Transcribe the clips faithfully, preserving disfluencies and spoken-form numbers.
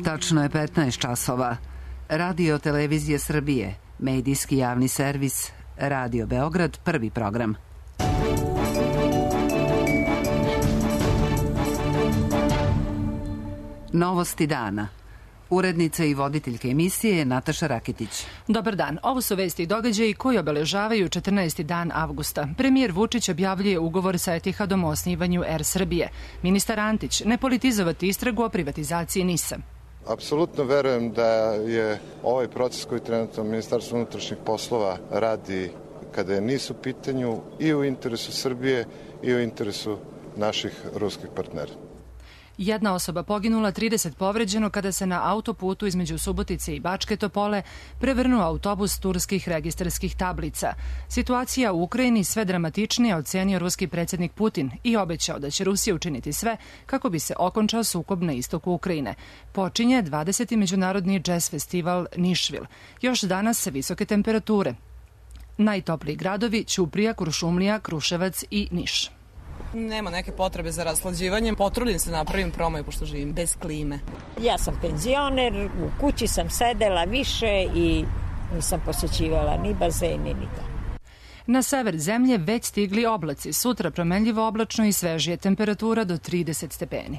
Tačno je petnaest časova. Radio Televizije Srbije, medijski javni servis, Radio Beograd, prvi program. Novosti dana. Urednica i voditeljka emisije je Nataša Rakitić. Dobar dan. Ovo su vesti i događaji koji obeležavaju četrnaesti dan avgusta. Premijer Vučić objavljuje ugovor sa Etihadom o osnivanju Er Srbije. Ministar Antić, ne politizovati istragu o privatizaciji NIS-a. Apsolutno verujem da je ovaj proces koji trenutno Ministarstvo unutrašnjih poslova radi kada je NIS u pitanju i u interesu Srbije i u interesu naših ruskih partnera. Jedna osoba poginula, trideset povređeno kada se na autoputu između Subotice i Bačke Topole prevrnuo autobus turskih registarskih tablica. Situacija u Ukrajini sve dramatičnije ocenio ruski predsjednik Putin i obećao da će Rusija učiniti sve kako bi se okončao sukob na istoku Ukrajine. Počinje dvadeseti međunarodni džez festival Nišvil. Još danas se visoke temperature. Najtopliji gradovi Ćuprija, Kuršumlija, Kruševac i Niš. Nema neke potrebe za raslađivanjem. Potrudim se napravim promaju pošto živim bez klime. Ja sam penzioner, u kući sam sedela više i nisam posjećivala ni bazen ni to. Na sever zemlje već stigli oblaci. Sutra promenljivo oblačno i svežije, temperatura do trideset stepeni.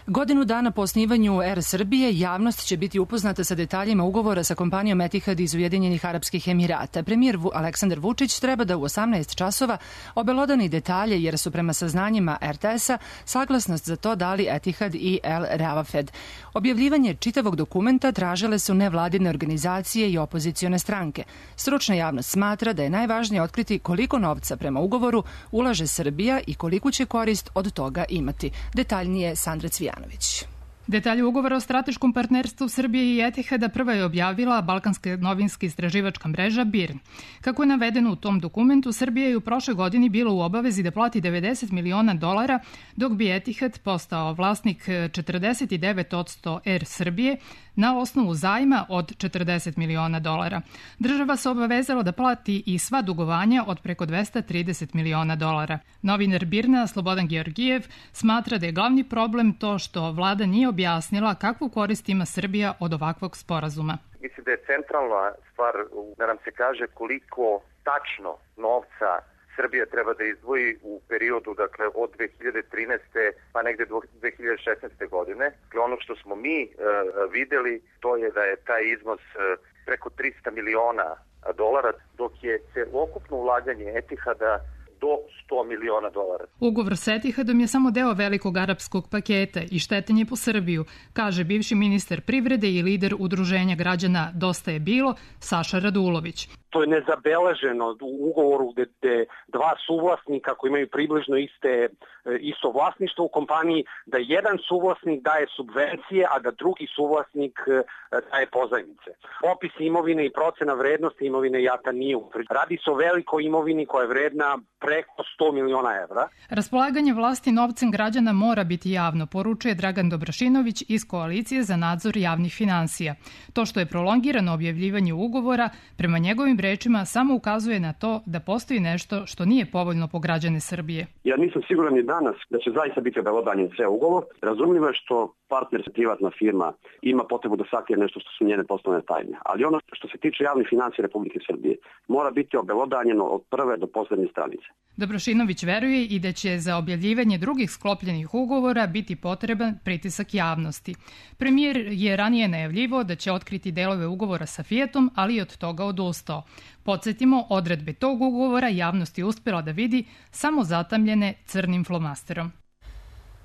Godinu dana po osnivanju Er Srbije javnost će biti upoznata sa detaljima ugovora sa kompanijom Etihad iz Ujedinjenih Arapskih Emirata. Premijer Aleksandar Vučić treba da u osamnaest časova obelodani detalje jer su prema saznanjima er te es-a saglasnost za to dali Etihad i El Ravafed. Objavljivanje čitavog dokumenta tražile su nevladine organizacije i opozicione stranke. Stručna javnost smatra da je najvažnije otkriti koliko novca prema ugovoru ulaže Srbija i koliku će korist od toga imati. Detaljnije Sandra Cvijanović. Detalje ugovora o strateškom partnerstvu Srbije i Etihada prva je objavila balkanska novinska istraživačka mreža B I R. Kako je navedeno u tom dokumentu, Srbija je u prošloj godini bila u obavezi da plati devedeset miliona dolara, dok bi Etihad postao vlasnik četrdeset devet posto Er Srbije na osnovu zajma od četrdeset miliona dolara. Država se obavezala da plati i sva dugovanja od preko dvesta trideset miliona dolara. Novinar B I R-na Slobodan Georgijev smatra da je glavni problem to što vlada nije objasnila kakvu korist ima Srbija od ovakvog sporazuma. Mislim da je centralna stvar da nam se kaže koliko tačno novca Srbija treba da izdvoji u periodu, dakle, od dve hiljade trinaeste pa negde do dve hiljade šesnaeste godine. Dakle, ono što smo mi e, videli, to je da je taj iznos e, preko trista miliona dolara, dok je celokupno ulaganje Etihada do sto miliona dolara. Ugovor s Etihadom je samo deo velikog arapskog paketa i štetan je po Srbiju, kaže bivši ministar privrede i lider udruženja građana Dosta je bilo, Saša Radulović. To je nezabeleženo u ugovoru gde, gde dva suvlasnika koji imaju približno iste, isto vlasništvo u kompaniji, da jedan suvlasnik daje subvencije, a da drugi suvlasnik daje pozajmice. Opis imovine i procena vrednosti imovine jata nije utvrđena. Radi se o velikoj imovini koja je vredna preko sto miliona evra. Raspolaganje vlasti novcem građana mora biti javno, poručuje Dragan Dobrašinović iz Koalicije za nadzor javnih finansija. To što je prolongirano objavljivanje ugovora, prema njegovim rečima samo ukazuje na to da postoji nešto što nije povoljno po građane Srbije. Ja nisam siguran ni danas da će zaista biti obelodanjen sve ugovor. Razumljivo je što partner, privatna firma, ima potrebu da sakrije nešto što su njene poslovne tajne. Ali ono što se tiče javnih finansija Republike Srbije mora biti obelodanjeno od prve do poslednje stranice. Dobrošinović veruje i da će za objavljivanje drugih sklopljenih ugovora biti potreban pritisak javnosti. Premijer je ranije najavljivao da će otkriti delove ugovora sa Fijatom, ali i od toga odustao. Podsjetimo, odredbe tog ugovora javnost je uspjela da vidi samo zatamljene crnim flomasterom.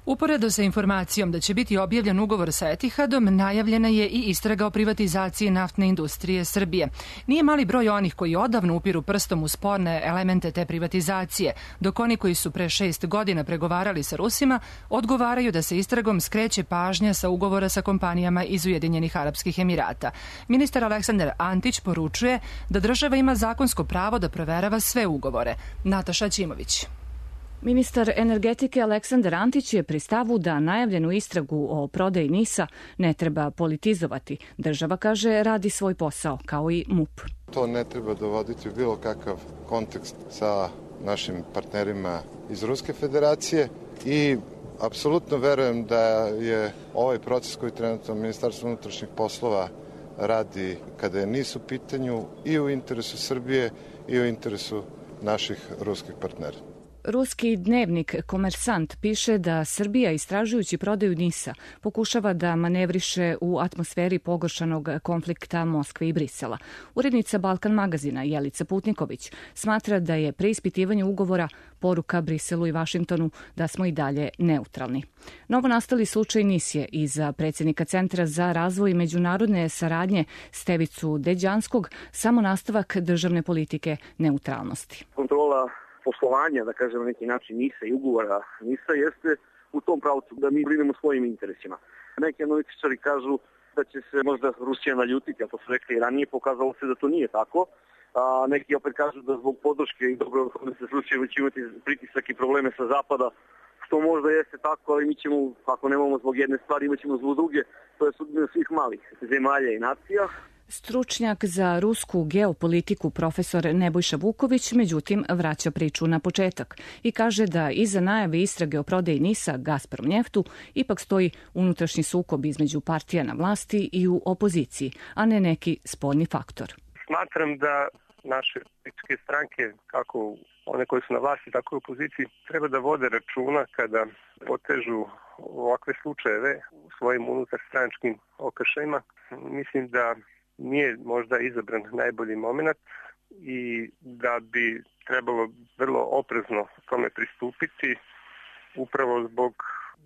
Uporedo sa informacijom da će biti objavljen ugovor sa Etihadom, najavljena je i istraga o privatizaciji naftne industrije Srbije. Nije mali broj onih koji odavno upiru prstom u sporne elemente te privatizacije, dok oni koji su pre šest godina pregovarali sa Rusima odgovaraju da se istragom skreće pažnja sa ugovora sa kompanijama iz Ujedinjenih Arapskih Emirata. Ministar Aleksandar Antić poručuje da država ima zakonsko pravo da proverava sve ugovore. Nataša Ćimović. Ministar energetike Aleksandar Antić je pri stavu da najavljenu istragu o prodaji NIS-a ne treba politizovati. Država, kaže, radi svoj posao, kao i M U P. To ne treba dovoditi u bilo kakav kontekst sa našim partnerima iz Ruske federacije i Apsolutno verujem da je ovaj proces koji trenutno Ministarstvo unutrašnjih poslova radi kada je NIS u pitanju i u interesu Srbije i u interesu naših ruskih partnera. Ruski dnevnik Komersant piše da Srbija, istražujući prodaju NIS-a, pokušava da manevriše u atmosferi pogoršanog konflikta Moskve i Brisela. Urednica Balkan magazina Jelica Putniković smatra da je preispitivanje ugovora poruka Briselu i Vašingtonu da smo i dalje neutralni. Novo nastali slučaj NIS je i za predsjednika Centra za razvoj međunarodne saradnje Stevicu Deđanskog samo nastavak državne politike neutralnosti. Kontrola poslovanja, da kažem na neki način NIS-a i ugovora NIS-a jeste u tom pravcu da mi brinemo svojim interesima. Neki analitičari kažu da će se možda Rusija naljutiti, a to su rekli i ranije, pokazalo se da to nije tako. A neki opet kažu da zbog podrške i dobro da se slučajeva će imati pritisak i probleme sa zapada, što možda jeste tako, ali mi ćemo, ako nemamo zbog jedne stvari, imat ćemo zbog druge, to je sudbina svih malih zemalja i nacija. Stručnjak za rusku geopolitiku profesor Nebojša Vuković međutim vraća priču na početak i kaže da iza najave istrage o prodaji NIS-a Gazpromnjeftu ipak stoji unutrašnji sukob između partija na vlasti i u opoziciji, a ne neki spoljni faktor. Smatram da naše političke stranke, kako one koje su na vlasti, tako i u opoziciji, treba da vode računa kada potežu ovakve slučajeve u svojim unutarstranačkim okršajima. Mislim da nije možda izabran najbolji moment i da bi trebalo vrlo oprezno tome pristupiti upravo zbog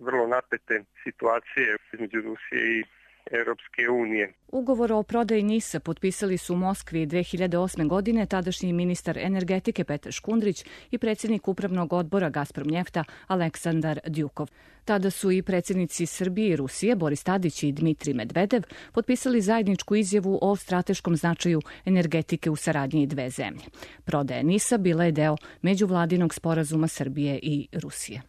vrlo napete situacije između Rusije i Europske unije. Ugovor o prodaji NIS-a potpisali su u Moskvi dve hiljade osme. godine tadašnji ministar energetike Petar Škundrić i predsjednik upravnog odbora Gazpromnjefta Aleksandar Djukov. Tada su i predsjednici Srbije i Rusije Boris Tadić i Dmitrij Medvedev potpisali zajedničku izjavu o strateškom značaju energetike u saradnji dve zemlje. Prodaja NIS-a bila je deo međuvladinog sporazuma Srbije i Rusije.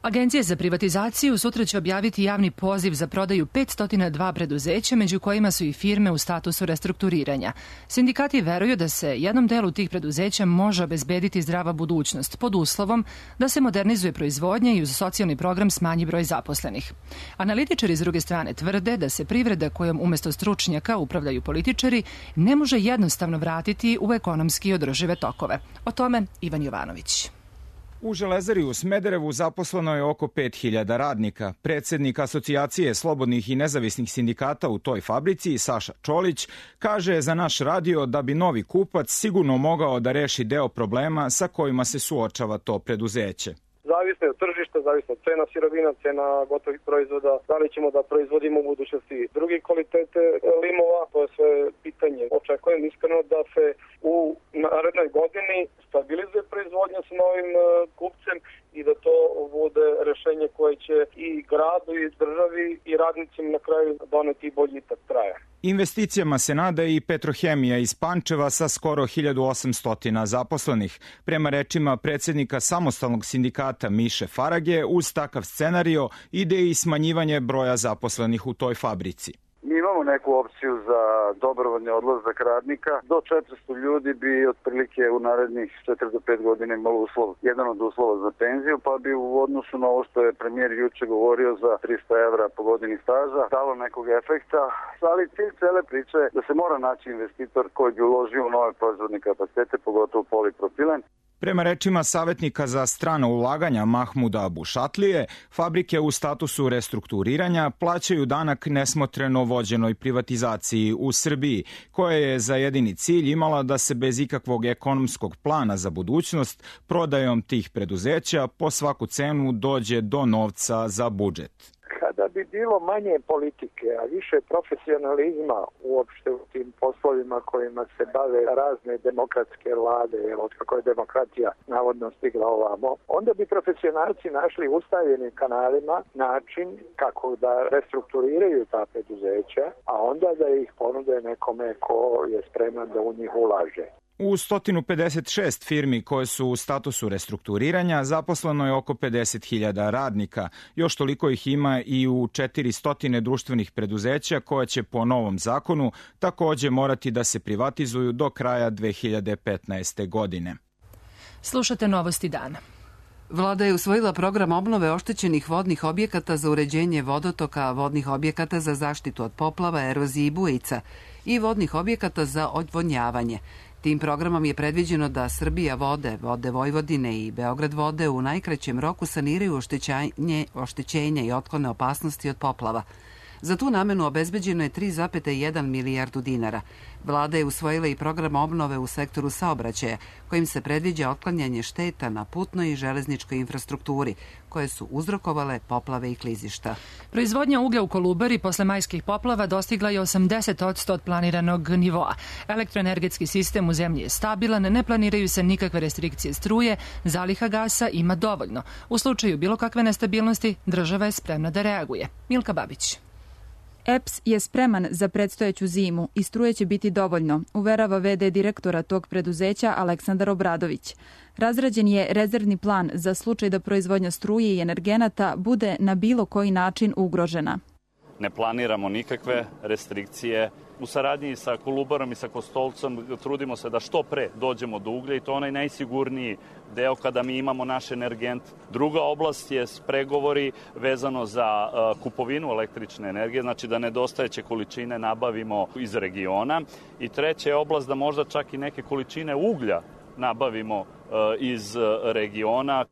Agencija za privatizaciju sutra će objaviti javni poziv za prodaju petsto dva preduzeća, među kojima su i firme u statusu restrukturiranja. Sindikati veruju da se jednom delu tih preduzeća može obezbediti zdrava budućnost, pod uslovom da se modernizuje proizvodnja i uz socijalni program smanji broj zaposlenih. Analitičari s druge strane tvrde da se privreda kojom umesto stručnjaka upravljaju političari ne može jednostavno vratiti u ekonomski održive tokove. O tome Ivan Jovanović. U Železari u Smederevu zaposleno je oko pet hiljada radnika. Predsjednik Asocijacije slobodnih i nezavisnih sindikata u toj fabrici, Saša Čolić, kaže za naš radio da bi novi kupac sigurno mogao da reši deo problema sa kojima se suočava to preduzeće. Zavisno je od tržišta, zavisno od cena sirovina, cena gotovih proizvoda, da li ćemo da proizvodimo u budućnosti drugi kvalitete limova, to je sve pitanje. Očekujem iskreno da se u narednoj godini stabilizuje proizvodnja sa novim kupcem i da to bude rešenje koje će i gradu i državi i radnicima na kraju doneti boljitak traja. Investicijama se nada i Petrohemija iz Pančeva sa skoro hiljadu osamsto zaposlenih. Prema rečima predsjednika samostalnog sindikata Miše Farage, uz takav scenario ide i smanjivanje broja zaposlenih u toj fabrici. Mi imamo neku opciju za dobrovoljni odlazak radnika. Do četiristo ljudi bi otprilike u narednih četiri do pet godina imalo uslov, jedan od uslova za penziju, pa bi u odnosu na ovo što je premijer juče govorio za trista evra po godini staža dalo nekog efekta. Ali cilj cele priče je da se mora naći investitor koji bi uložio u nove proizvodne kapacitete, pogotovo polipropilen. Prema rečima savjetnika za strana ulaganja Mahmuda Bušatlije, fabrike u statusu restrukturiranja plaćaju danak nesmotreno vođenoj privatizaciji u Srbiji, koja je za jedini cilj imala da se bez ikakvog ekonomskog plana za budućnost prodajom tih preduzeća po svaku cenu dođe do novca za budžet. Kada bi bilo manje politike, a više profesionalizma uopšte u tim poslovima kojima se bave razne demokratske vlade, od kako je demokratija navodno stigla ovamo, onda bi profesionalci našli ustaljenim kanalima način kako da restrukturiraju ta preduzeća, a onda da ih ponude nekome ko je spreman da u njih ulaže. U sto pedeset šest firmi koje su u statusu restrukturiranja zaposleno je oko pedeset hiljada radnika. Još toliko ih ima i u četiristo društvenih preduzeća koja će po novom zakonu također morati da se privatizuju do kraja dve hiljade petnaeste. godine. Slušate Novosti dana. Vlada je usvojila program obnove oštećenih vodnih objekata za uređenje vodotoka, vodnih objekata za zaštitu od poplava, erozije i bujica i vodnih objekata za odvodnjavanje. Tim programom je predviđeno da Srbija vode, Vode Vojvodine i Beograd vode u najkraćem roku saniraju oštećenje, oštećenja i otklone opasnosti od poplava. Za tu namenu obezbeđeno je tri zarez jedan milijardu dinara. Vlada je usvojila i program obnove u sektoru saobraćaja, kojim se predviđa otklanjanje šteta na putnoj i železničkoj infrastrukturi, koje su uzrokovale poplave i klizišta. Proizvodnja uglja u Kolubari posle majskih poplava dostigla je osamdeset posto od planiranog nivoa. Elektroenergetski sistem u zemlji je stabilan, ne planiraju se nikakve restrikcije struje, zaliha gasa ima dovoljno. U slučaju bilo kakve nestabilnosti, država je spremna da reaguje. Milka Babić. E P S je spreman za predstojeću zimu i struje će biti dovoljno, uverava ve de direktora tog preduzeća Aleksandar Obradović. Razrađen je rezervni plan za slučaj da proizvodnja struje i energenata bude na bilo koji način ugrožena. Ne planiramo nikakve restrikcije. U saradnji sa Kolubarom i sa Kostolcom trudimo se da što pre dođemo do uglja i to onaj najsigurniji deo kada mi imamo naš energent. Druga oblast je pregovori vezano za uh, kupovinu električne energije, znači da nedostajeće količine nabavimo iz regiona. I treća je oblast da možda čak i neke količine uglja nabavimo uh, iz uh, regiona.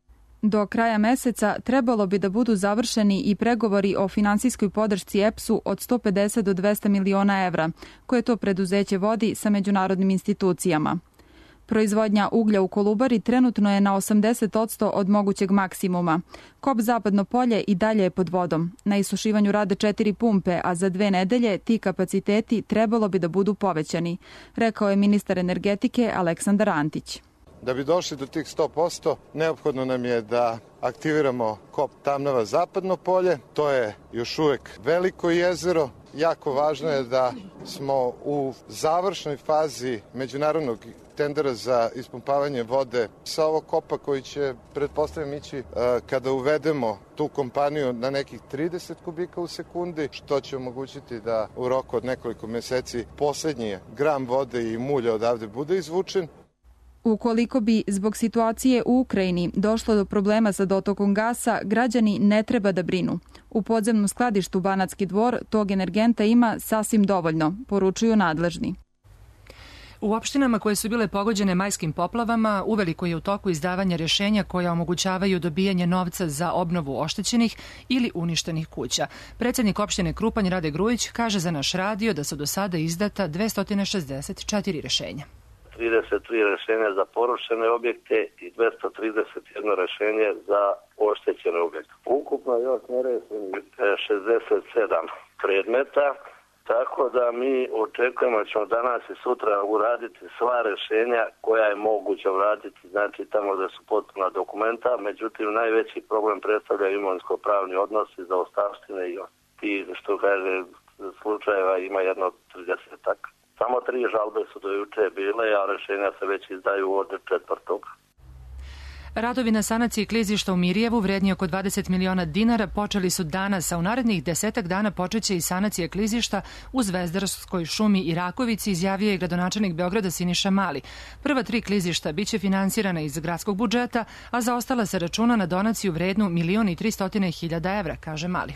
Do kraja meseca trebalo bi da budu završeni i pregovori o finansijskoj podršci E P S-u od sto pedeset do dvesta miliona evra, koje to preduzeće vodi sa međunarodnim institucijama. Proizvodnja uglja u Kolubari trenutno je na osamdeset posto od mogućeg maksimuma. Kop Zapadno polje i dalje je pod vodom. Na isušivanju rade četiri pumpe, a za dve nedelje ti kapaciteti trebalo bi da budu povećani, rekao je ministar energetike Aleksandar Antić. Da bi došli do tih sto posto, neophodno nam je da aktiviramo kop Tamnava Zapadno polje. To je još uvek veliko jezero. Jako važno je da smo u završnoj fazi međunarodnog tendera za ispumpavanje vode sa ovog kopa koji će, pretpostavljam, ići kada uvedemo tu kompaniju na nekih trideset kubika u sekundi, što će omogućiti da u roku od nekoliko meseci poslednji gram vode i mulja odavde bude izvučen. Ukoliko bi zbog situacije u Ukrajini došlo do problema sa dotokom gasa, građani ne treba da brinu. U podzemnom skladištu Banatski Dvor tog energenta ima sasvim dovoljno, poručuju nadležni. U opštinama koje su bile pogođene majskim poplavama uveliko je u toku izdavanja rješenja koja omogućavaju dobijanje novca za obnovu oštećenih ili uništenih kuća. Predsjednik opštine Krupanj Rade Grujić kaže za naš radio da su do sada izdata dvesta šezdeset četiri rješenja. trideset tri rješenja za porušene objekte i dvesta trideset jedno rješenje za oštećene objekte. Ukupno još nerešenih šezdeset sedam predmeta, tako da mi očekujemo da ćemo danas i sutra uraditi sva rješenja koja je moguće uraditi, znači tamo da su potpuna dokumenta, međutim najveći problem predstavlja imovinsko-pravni odnosi za ostavštine i ti, što kaže, slučajeva ima jedno tridesetak. Samo tri žalbe su do juče bile, a rješenja se već izdaju od četvrtog. Radovi na sanaciji klizišta u Mirjevu vredni oko dvadeset miliona dinara počeli su danas, a u narednih desetak dana počeće i sanacije klizišta u Zvezdarskoj šumi i Rakovici, izjavio je gradonačelnik Beograda Siniša Mali. Prva tri klizišta biće finansirana iz gradskog budžeta, a za ostala se računa na donaciju vrednu milion i tristo hiljada evra, kaže Mali.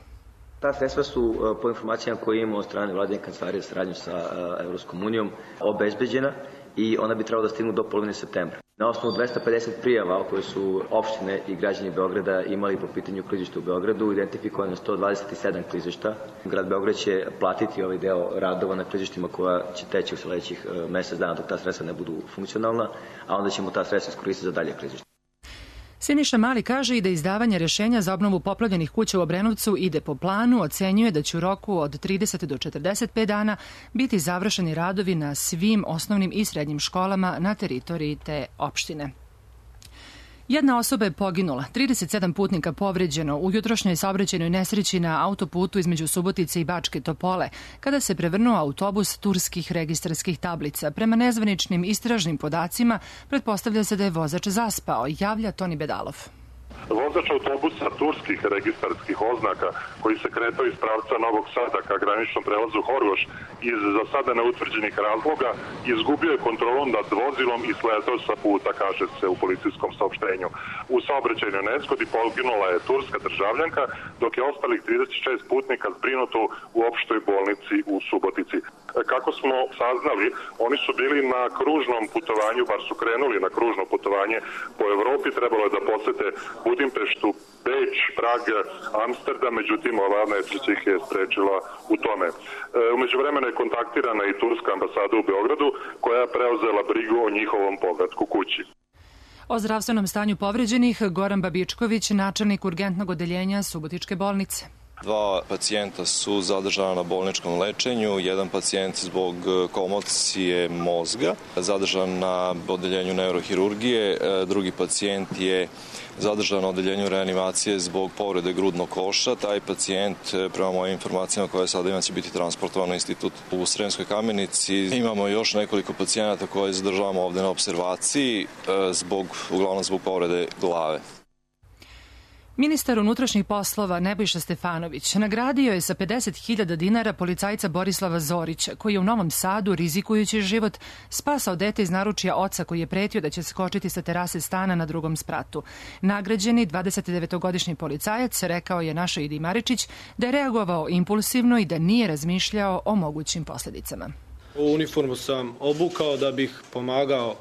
Ta sredstva su, po informacijama koje imamo od strane vladine kancelarije saradnju sa Evropskom unijom, obezbeđena i ona bi trebala da stignu do polovine septembra. Na osnovu dvesta pedeset prijava koje su opštine i građani Beograda imali po pitanju klizišta u Beogradu, identifikovano sto dvadeset sedam klizišta. Grad Beograd će platiti ovaj deo radova na klizištima koja će teći u sledećih mesec dana dok ta sredstva ne budu funkcionalna, a onda ćemo ta sredstva iskoristiti za dalje klizišta. Siniša Mali kaže i da izdavanje rješenja za obnovu poplavljenih kuća u Obrenovcu ide po planu, ocenjuje da će u roku od trideset do četrdeset pet dana biti završeni radovi na svim osnovnim i srednjim školama na teritoriji te opštine. Jedna osoba je poginula, trideset sedam putnika povređeno u jutrošnjoj saobraćajnoj nesreći na autoputu između Subotice i Bačke Topole, kada se prevrnuo autobus turskih registarskih tablica. Prema nezvaničnim istražnim podacima, pretpostavlja se da je vozač zaspao, javlja Toni Bedalov. Vozač autobusa turskih registarskih oznaka koji se kretao iz pravca Novog Sada ka graničnom prelazu Horgoš iz za sada neutvrđenih razloga izgubio je kontrolu nad vozilom i sletao sa puta, kaže se u policijskom saopštenju. U saobraćajnoj nezgodi poginula je turska državljanka, dok je ostalih trideset šest putnika zbrinuto u opštoj bolnici u Subotici. Kako smo saznali, oni su bili na kružnom putovanju, bar su krenuli na kružno putovanje po Evropi, trebalo je da posete Budimpeštu, Beč, Prag, Amsterdam, međutim ova nesreća ih je sprečila u tome. E, umeđu vremena je kontaktirana i turska ambasada u Beogradu, koja je preuzela brigu o njihovom povratku kući. O zdravstvenom stanju povređenih Goran Babičković, načelnik urgentnog odeljenja Subotičke bolnice. Dva pacijenta su zadržana na bolničkom lečenju, jedan pacijent zbog komocije mozga, zadržan na odeljenju neurohirurgije, drugi pacijent je zadržan na odeljenju reanimacije zbog povrede grudnog koša. Taj pacijent, prema mojim informacijama koje sada imam, će biti transportovan na institut u Sremskoj Kamenici. Imamo još nekoliko pacijenata koje zadržavamo ovde na observaciji, zbog, uglavnom zbog povrede glave. Ministar unutrašnjih poslova Nebojša Stefanović nagradio je sa pedeset hiljada dinara policajca Borislava Zorića, koji je u Novom Sadu, rizikujući život, spasao dete iz naručja oca koji je pretio da će skočiti sa terase stana na drugom spratu. Nagrađeni dvadesetdevetogodišnji policajac rekao je našoj Idi Maričić da je reagovao impulsivno i da nije razmišljao o mogućim posledicama. Ovu uniformu sam obukao da bih pomagao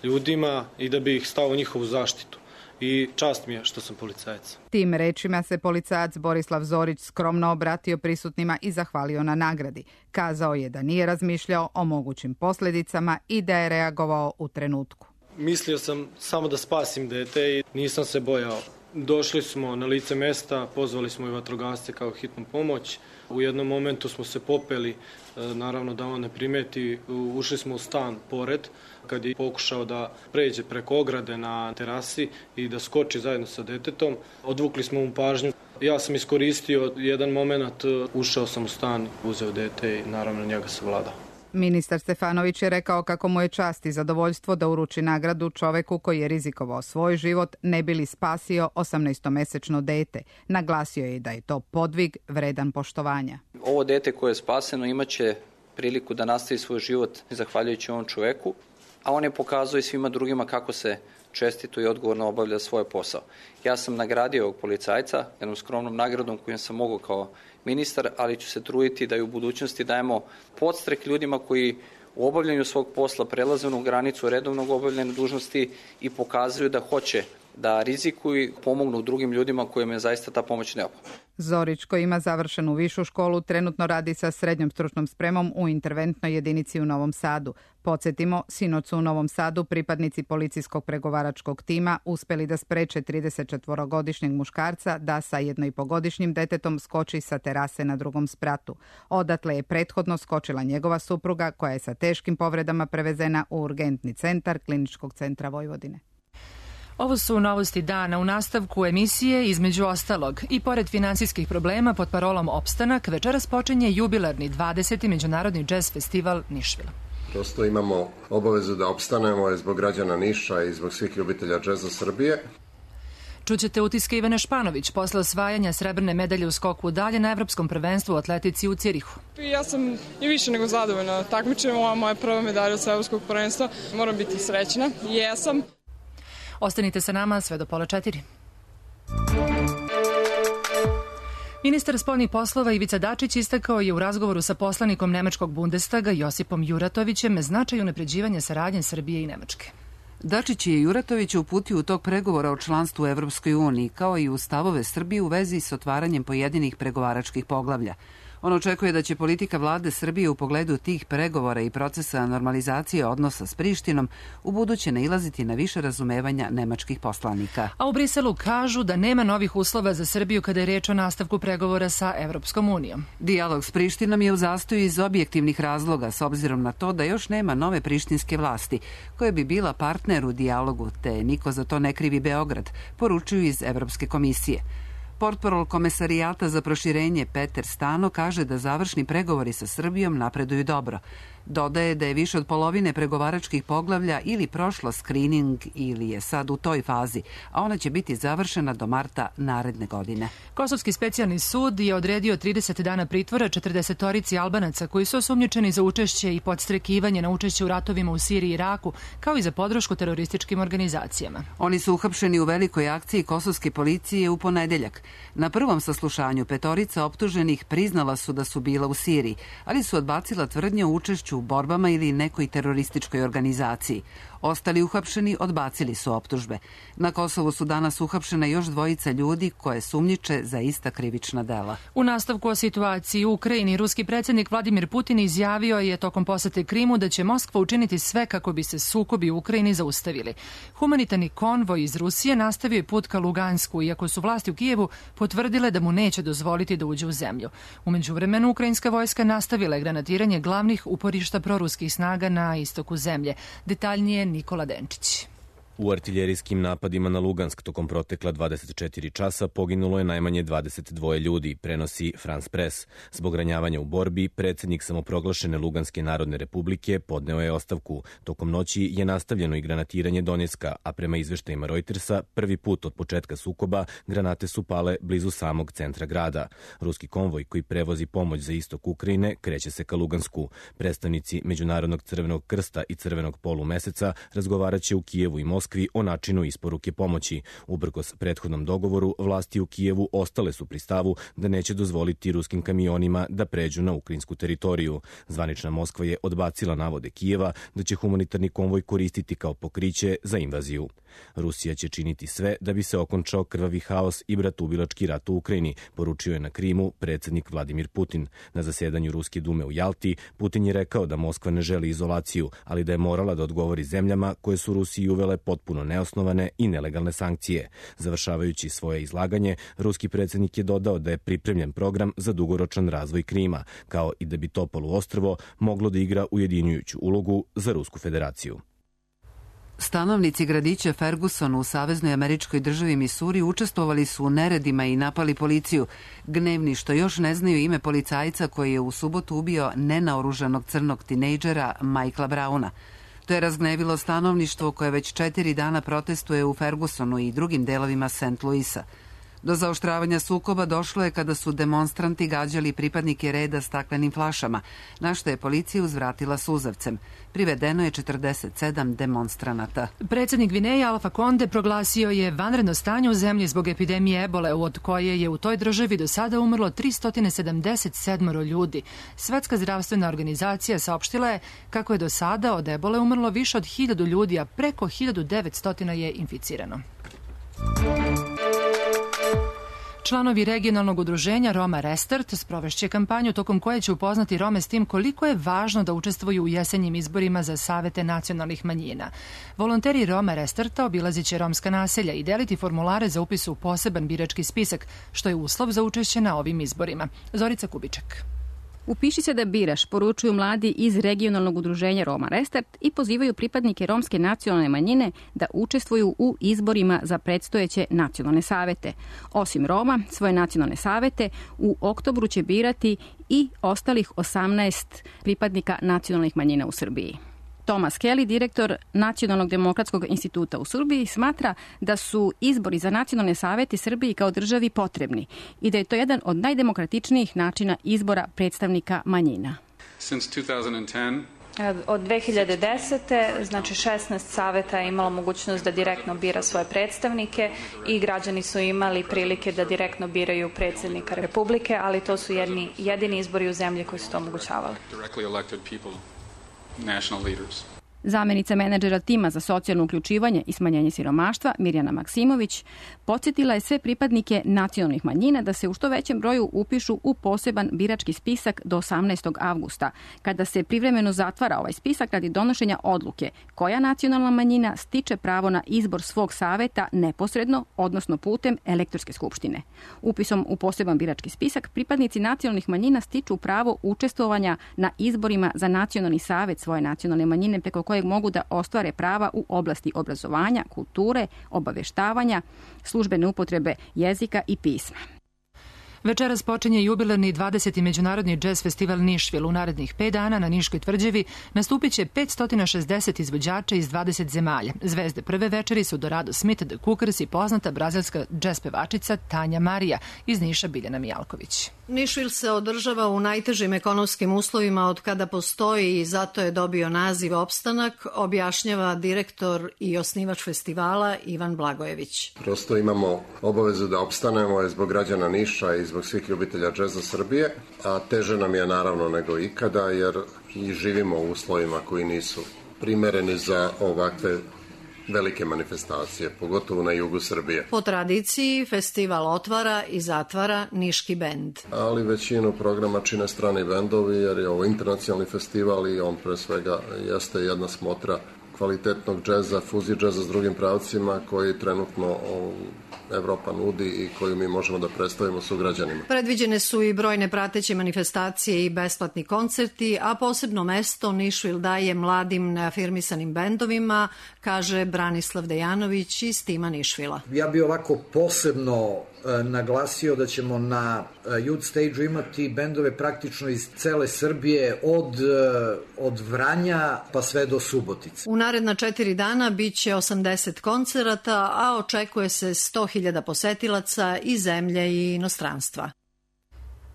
ljudima i da bih stao u njihovu zaštitu. I čast mi je što sam policajac. Tim rečima se policajac Borislav Zorić skromno obratio prisutnima i zahvalio na nagradi. Kazao je da nije razmišljao o mogućim posljedicama i da je reagovao u trenutku. Mislio sam samo da spasim dete i nisam se bojao. Došli smo na lice mesta, pozvali smo i vatrogasce kao hitnu pomoć. U jednom momentu smo se popeli, naravno da on ne primeti, ušli smo u stan pored, kad je pokušao da pređe preko ograde na terasi i da skoči zajedno sa detetom. Odvukli smo mu pažnju. Ja sam iskoristio jedan moment, ušao sam u stan, uzeo dete i naravno njega savladao. Ministar Stefanović je rekao kako mu je čast i zadovoljstvo da uruči nagradu čoveku koji je rizikovao svoj život ne bi li spasio osamnaestomesečno dete. Naglasio je da je to podvig vredan poštovanja. Ovo dete koje je spaseno imaće priliku da nastavi svoj život zahvaljujući ovom čoveku, a on je pokazao i svima drugima kako se čestito i odgovorno obavlja svoj posao. Ja sam nagradio ovog policajca jednom skromnom nagradom kojom sam mogao kao ministar, ali ću se truditi da i u budućnosti dajemo podstrek ljudima koji u obavljanju svog posla prelaze u granicu redovnog obavljanja dužnosti i pokazuju da hoće da rizikuju i pomognu drugim ljudima kojima je zaista ta pomoć neophodna. Zorić, koji ima završenu višu školu, trenutno radi sa srednjom stručnom spremom u interventnoj jedinici u Novom Sadu. Podsjetimo, sinoć su u Novom Sadu pripadnici policijskog pregovaračkog tima uspeli da spreče tridesetčetvorogodišnjeg muškarca da sa jednoipogodišnjim detetom skoči sa terase na drugom spratu. Odatle je prethodno skočila njegova supruga koja je sa teškim povredama prevezena u urgentni centar Kliničkog centra Vojvodine. Ovo su novosti dana u nastavku emisije, između ostalog. I pored finansijskih problema pod parolom Opstanak, večeras počinje jubilarni dvadeseti Međunarodni džez festival Nišvil. Prosto imamo obavezu da opstanemo zbog građana Niša i zbog svih ljubitelja džeza Srbije. Čućete utiske Ivane Španović posle osvajanja srebrne medalje u skoku dalje na Evropskom prvenstvu u atletici u Cirihu. Ja sam i više nego zadovoljna takmičenjem, ova moja prva medalja sa Evropskog prvenstva. Moram biti srećna, jesam. Ostanite sa nama sve do pola četiri. Ministar spoljnih poslova Ivica Dačić istakao je u razgovoru sa poslanikom Nemačkog Bundestaga Josipom Juratovićem značaj unapređivanja saradnje Srbije i Nemačke. Dačić je Juratović uputio u tog pregovora o članstvu u Evropskoj uniji, kao i u stavove Srbije u vezi s otvaranjem pojedinih pregovaračkih poglavlja. On očekuje da će politika vlade Srbije u pogledu tih pregovora i procesa normalizacije odnosa s Prištinom u buduće nailaziti na više razumevanja nemačkih poslanika. A u Briselu kažu da nema novih uslova za Srbiju kada je reč o nastavku pregovora sa Evropskom unijom. Dijalog s Prištinom je u zastoju iz objektivnih razloga, s obzirom na to da još nema nove prištinske vlasti, koje bi bila partner u dijalogu, te niko za to ne krivi Beograd, poručuju iz Evropske komisije. Portparol Komesarijata za proširenje Peter Stano kaže da završni pregovori sa Srbijom napreduju dobro. Dodaje da je više od polovine pregovaračkih poglavlja ili prošlo skrining ili je sad u toj fazi, a ona će biti završena do marta naredne godine. Kosovski specijalni sud je odredio trideset dana pritvora četrdesetorici Albanaca koji su osumnjičeni za učešće i podstrekivanje na učešće u ratovima u Siriji i Iraku, kao i za podršku terorističkim organizacijama. Oni su uhapšeni u velikoj akciji kosovske policije u ponedeljak. Na prvom saslušanju petorica optuženih priznala su da su bila u Siriji, ali su odbacila tvrdnje o učešću u borbama ili nekoj terorističkoj organizaciji. Ostali uhapšeni odbacili su optužbe. Na Kosovu su danas uhapšena još dvojica ljudi koje sumnjiče za ista krivična dela. U nastavku o situaciji u Ukrajini, ruski predsjednik Vladimir Putin izjavio je tokom posete Krimu da će Moskva učiniti sve kako bi se sukobi u Ukrajini zaustavili. Humanitarni konvoj iz Rusije nastavio je put ka Lugansku, iako su vlasti u Kijevu potvrdile da mu neće dozvoliti da uđe u zemlju. U međuvremenu, ukrajinska vojska nastavila je granatiranje glavnih uporišta proruskih snaga na istoku zemlje. Detaljnije Nikola Denčić. U artiljerijskim napadima na Lugansk tokom protekla dvadeset četiri časa poginulo je najmanje dvadeset dva ljudi, prenosi France Press. Zbog ranjavanja u borbi, predsjednik samoproglašene Luganske narodne republike podneo je ostavku. Tokom noći je nastavljeno i granatiranje Donjecka, a prema izveštajima Reutersa, prvi put od početka sukoba granate su pale blizu samog centra grada. Ruski konvoj koji prevozi pomoć za istok Ukrajine kreće se ka Lugansku. Predstavnici Međunarodnog crvenog krsta i crvenog polumeseca razgovaraće u Kijevu i Moskvi o načinu isporuke pomoći. Uprkos prethodnom dogovoru, vlasti u Kijevu ostale su pri stavu da neće dozvoliti ruskim kamionima da pređu na ukrajinsku teritoriju. Zvanična Moskva je odbacila navode Kijeva da će humanitarni konvoj koristiti kao pokriće za invaziju. Rusija će činiti sve da bi se okončao krvavi haos i bratubilački rat u Ukrajini, poručio je na Krimu predsjednik Vladimir Putin. Na zasedanju Ruske dume u Jalti, Putin je rekao da Moskva ne želi izolaciju, ali da je morala da odgovori zemljama koje su Rusiji uvele potpuno neosnovane i nelegalne sankcije. Završavajući svoje izlaganje, ruski predsjednik je dodao da je pripremljen program za dugoročan razvoj Krima, kao i da bi to poluostrvo moglo da igra ujedinjujuću ulogu za Rusku federaciju. Stanovnici gradića Ferguson u saveznoj američkoj državi Misuri učestvovali su u neredima i napali policiju, gnevni što još ne znaju ime policajca koji je u subotu ubio nenaoružanog crnog tinejdžera Michaela Browna. To je razgnevilo stanovništvo koje već četiri dana protestuje u Fergusonu i drugim delovima Saint Louisa. Do zaoštravanja sukoba došlo je kada su demonstranti gađali pripadnike reda staklenim flašama, na što je policija uzvratila suzavcem. Privedeno je četrdeset sedam demonstranata. Predsjednik Gvineje Alfa Konde proglasio je vanredno stanje u zemlji zbog epidemije ebole, od koje je u toj državi do sada umrlo tristo sedamdeset sedam ljudi. Svetska zdravstvena organizacija saopštila je kako je do sada od ebole umrlo više od hiljadu ljudi, a preko hiljadu devetsto je inficirano. Članovi regionalnog udruženja Roma Restart sprovešće kampanju tokom koje će upoznati Rome s tim koliko je važno da učestvuju u jesenjim izborima za savete nacionalnih manjina. Volonteri Roma Restarta obilazit će romska naselja i deliti formulare za upis u poseban birački spisak, što je uslov za učešće na ovim izborima. Zorica Kubiček. Upiši se da biraš, poručuju mladi iz regionalnog udruženja Roma Restart i pozivaju pripadnike romske nacionalne manjine da učestvuju u izborima za predstojeće nacionalne savete. Osim Roma, svoje nacionalne savete u oktobru će birati i ostalih osamnaest pripadnika nacionalnih manjina u Srbiji. Thomas Kelly, direktor Nacionalnog demokratskog instituta u Srbiji, smatra da su izbori za nacionalne savete Srbiji kao državi potrebni i da je to jedan od najdemokratičnijih načina izbora predstavnika manjina. Od dve hiljade desete. znači šesnaest saveta je imalo mogućnost da direktno bira svoje predstavnike i građani su imali prilike da direktno biraju predsjednika Republike, ali to su jedni, jedini izbori u zemlji koji su to omogućavali. Zamenica menadžera tima za socijalno uključivanje i smanjenje siromaštva, Mirjana Maksimović, podsjetila je sve pripadnike nacionalnih manjina da se u što većem broju upišu u poseban birački spisak do osamnaestog avgusta, kada se privremeno zatvara ovaj spisak radi donošenja odluke koja nacionalna manjina stiče pravo na izbor svog saveta neposredno, odnosno putem elektorske skupštine. Upisom u poseban birački spisak pripadnici nacionalnih manjina stiču pravo učestvovanja na izborima za nacionalni savet svoje nacionalne manjine preko kojeg mogu da ostvare prava u oblasti obrazovanja, kulture, obaveštavanja, službene upotrebe jezika i pisma. Večeras počinje jubilarni dvadeseti međunarodni džez festival Nišvil. U narednih pet dana na Niškoj tvrđavi nastupit će petsto šezdeset izvođača iz dvadeset zemalja. Zvezde prve večeri su Dorado Smith, The Cookers i poznata brazilska džez pevačica Tanja Marija. Iz Niša Biljana Mijalković. Nišvil se održava u najtežim ekonomskim uslovima od kada postoji i zato je dobio naziv opstanak, objašnjava direktor i osnivač festivala Ivan Blagojević. Prosto imamo obavezu da opstanemo zbog građana Niša i zbog svih ljubitelja džeza Srbije, a teže nam je naravno nego ikada jer i živimo u uslovima koji nisu primereni za ovakve velike manifestacije, pogotovo na jugu Srbije. Po tradiciji, festival otvara i zatvara niški bend. Ali većinu programa čine strani bendovi jer je ovo internacionalni festival i on pre svega jeste jedna smotra kvalitetnog džeza, fuzije džeza s drugim pravcima koji trenutno Evropa nudi i koju mi možemo da predstavimo sugrađanima. Predviđene su i brojne prateće manifestacije i besplatni koncerti, a posebno mesto Nišvil daje mladim neafirmisanim bendovima, kaže Branislav Dejanović iz tima Nišvila. Ja bi ovako posebno e, naglasio da ćemo na e, Youth Stage-u imati bendove praktično iz cele Srbije od, e, od Vranja pa sve do Subotice. U naredna četiri dana biće osamdeset koncerata, a očekuje se sto hiljada posetilaca iz zemlje i inostranstva.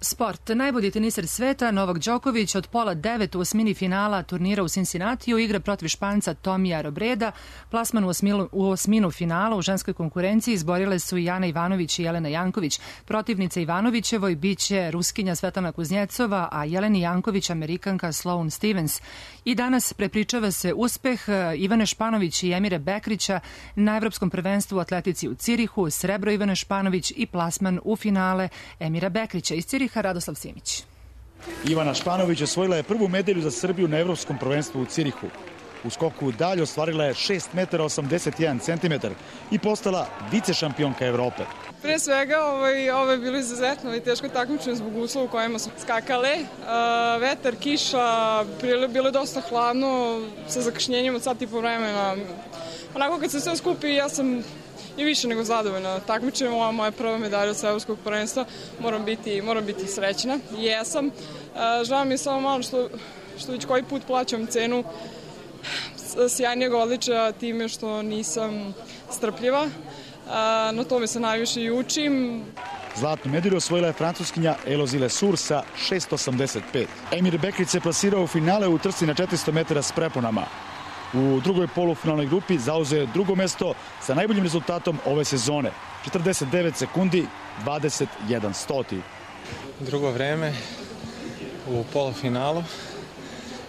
Sport. Najbolji teniser sveta Novak Đoković od pola devet u osmini finala turnira u Cincinnatiju igra protiv Španca Tomija Robreda. Plasman u osminu, u osminu finala u ženskoj konkurenciji izborile su i Jana Ivanović i Jelena Janković. Protivnica Ivanovićevoj biće Ruskinja Svetlana Kuznjecova, a Jeleni Janković Amerikanka Sloane Stevens. I danas prepričava se uspeh Ivane Španović i Emire Bekrića na Evropskom prvenstvu u atletici u Cirihu, srebro Ivane Španović i plasman u finale Emira Bekrića. Iz Ciriha Radoslav Simić. Ivana Španović osvojila je prvu medalju za Srbiju na Evropskom prvenstvu u Cirihu. U skoku dalje ostvarila je šest metara osamdeset jedan centimetar i postala vice šampionka Evrope. Pre svega ovaj, ovo je bilo izuzetno i teško takmičenje zbog uslova u kojima smo skakale. Uh, vetar, kiša, bilo je dosta hladno sa zakašnjenjem od sat i po vremena. Onako kad se sve skupi ja sam i više nego zadovoljna takmičenjem. Ova moja prva medalja sa Evropskog prvenstva. Moram biti, moram biti srećna. Jesam. Uh, žao mi je samo malo što, što već koji put plaćam cenu sjajnijeg odličaja time što nisam strpljiva. Na tome se najviše i učim. Zlatnu medalju osvojila je francuskinja Elozile Sur sa šest osamdeset pet. Emir Bekrić se plasirao u finale u trci na četiristo metara s preponama. U drugoj polufinalnoj grupi zauzeo je drugo mesto sa najboljim rezultatom ove sezone. četrdeset devet sekundi, dvadeset jedan stoti. Drugo vreme u polufinalu.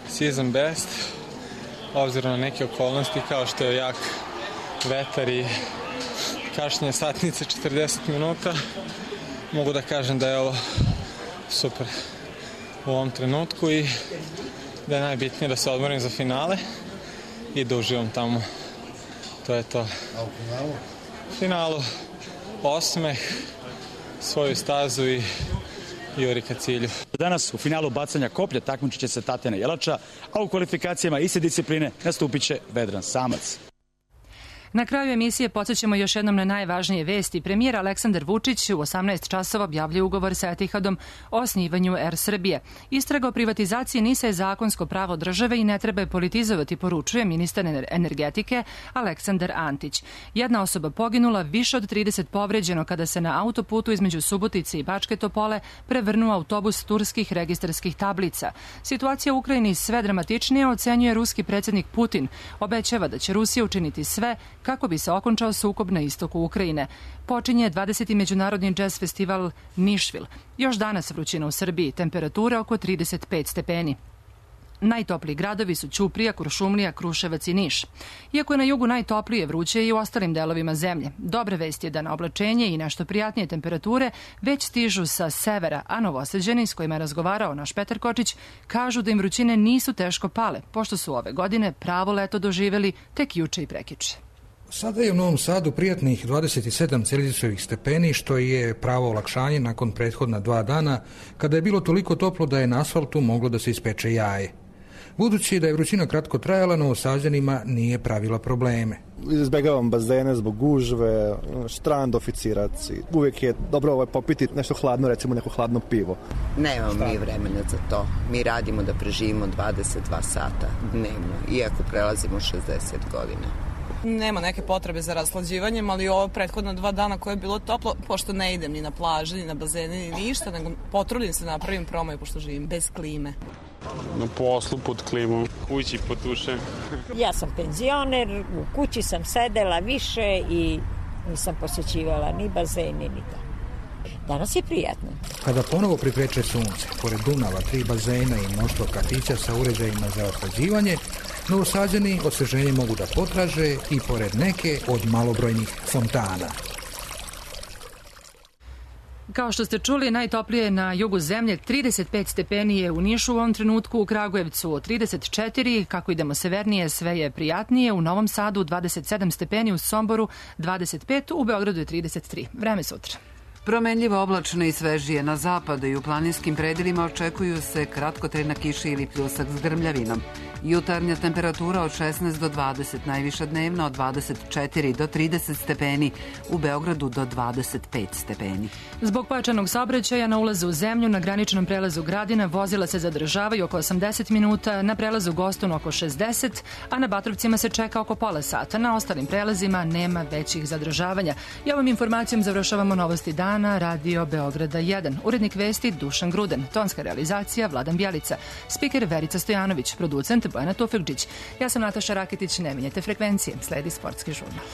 Season best. Obzirom na neke okolnosti kao što je jak vetar i kašnjenje satnice četrdeset minuta, mogu da kažem da je ovo super u ovom trenutku i da je najbitnije da se odmorim za finale i da uživam tamo. To je to. A u finalu? U finalu osmeh, svoju stazu i juri ka cilju. Danas u finalu bacanja koplja takmičit će se Tatjana Jelača, a u kvalifikacijama iste discipline nastupit će Vedran Samac. Na kraju emisije podsjećamo još jednom na najvažnije vesti. Premijer Aleksandar Vučić u osamnaest časova objavljuje ugovor sa Etihadom o osnivanju Er Srbije. Istraga o privatizaciji NIS-a je zakonsko pravo države i ne treba je politizovati, poručuje ministar energetike Aleksandar Antić. Jedna osoba poginula, više od trideset povređeno kada se na autoputu između Subotice i Bačke Topole prevrnuo autobus turskih registarskih tablica. Situacija u Ukrajini sve dramatičnija, ocenjuje ruski predsjednik Putin. Obećava da će Rusija učiniti sve kako bi se okončao sukob na istoku Ukrajine. Počinje dvadeseti međunarodni džez festival Nišvil. Još danas vrućina u Srbiji, temperatura oko trideset pet stepeni. Najtopliji gradovi su Ćuprija, Kuršumlija, Kruševac i Niš. Iako je na jugu najtoplije, vruće i u ostalim delovima zemlje. Dobra vest je da na oblačenje i nešto prijatnije temperature već stižu sa severa, a Novosađani s kojima je razgovarao naš Petar Kočić kažu da im vrućine nisu teško pale, pošto su ove godine pravo leto doživeli tek juče i prekjuče. Sada je u Novom Sadu prijatnih dvadeset sedam celzijusovih stepeni, što je pravo olakšanje nakon prethodna dva dana, kada je bilo toliko toplo da je na asfaltu moglo da se ispeče jaje. Budući da je vrućina kratko trajala, Novosađanima nije pravila probleme. Izbegavam bazene zbog gužve, štrand, oficiraci. Uvijek je dobro ovaj, popiti nešto hladno, recimo neko hladno pivo. Nemamo mi vremena za to. Mi radimo da preživimo dvadeset dva sata dnevno, iako prelazimo šezdeset godina. Nema neke potrebe za raslađivanjem, ali ovo prethodna dva dana koje je bilo toplo, pošto ne idem ni na plaži, ni na bazene, ni ništa, nego potrudim se napravim promaju, pošto živim bez klime. Na poslu pod klimom, kući pod tušem. Ja sam penzioner, u kući sam sedela više i nisam posjećivala ni bazeni, ni to. Danas je prijatno. Kada ponovo prikreće sunce, pored Dunava, tri bazena i mnoštvo kafića sa uređajima za ohlađivanje, Novosađani osveženje mogu da potraže i pored neke od malobrojnih fontana. Kao što ste čuli, najtoplije na jugu zemlje, trideset pet stepeni je u Nišu u ovom trenutku, u Kragujevcu trideset četiri, kako idemo severnije sve je prijatnije, u Novom Sadu dvadeset sedam stepeni, u Somboru dvadeset pet, u Beogradu je trideset tri. Vreme sutra. Promenljivo oblačno i svežije na zapadu i u planinskim predelima očekuju se kratkotrajna kiša ili pljusak s grmljavinom. Jutarnja temperatura od šesnaest do dvadeset, najviša dnevna od dvadeset četiri do trideset stepeni, u Beogradu do dvadeset pet stepeni. Zbog pojačanog saobraćaja na ulazu u zemlju na graničnom prelazu Gradina vozila se zadržavaju oko osamdeset minuta, na prelazu Gostun oko šezdeset, a na Batrovcima se čeka oko pola sata. Na ostalim prelazima nema većih zadržavanja. I ovom informacijom završavamo novosti dana Radio Beograda jedan. Urednik vesti Dušan Gruden, tonska realizacija Vladan Bjelica, spiker Verica Stojanović, producent Bojana Tufekđić. Ja sam Nataša Raketić, ne menjajte frekvencije, sledi sportski žurnal.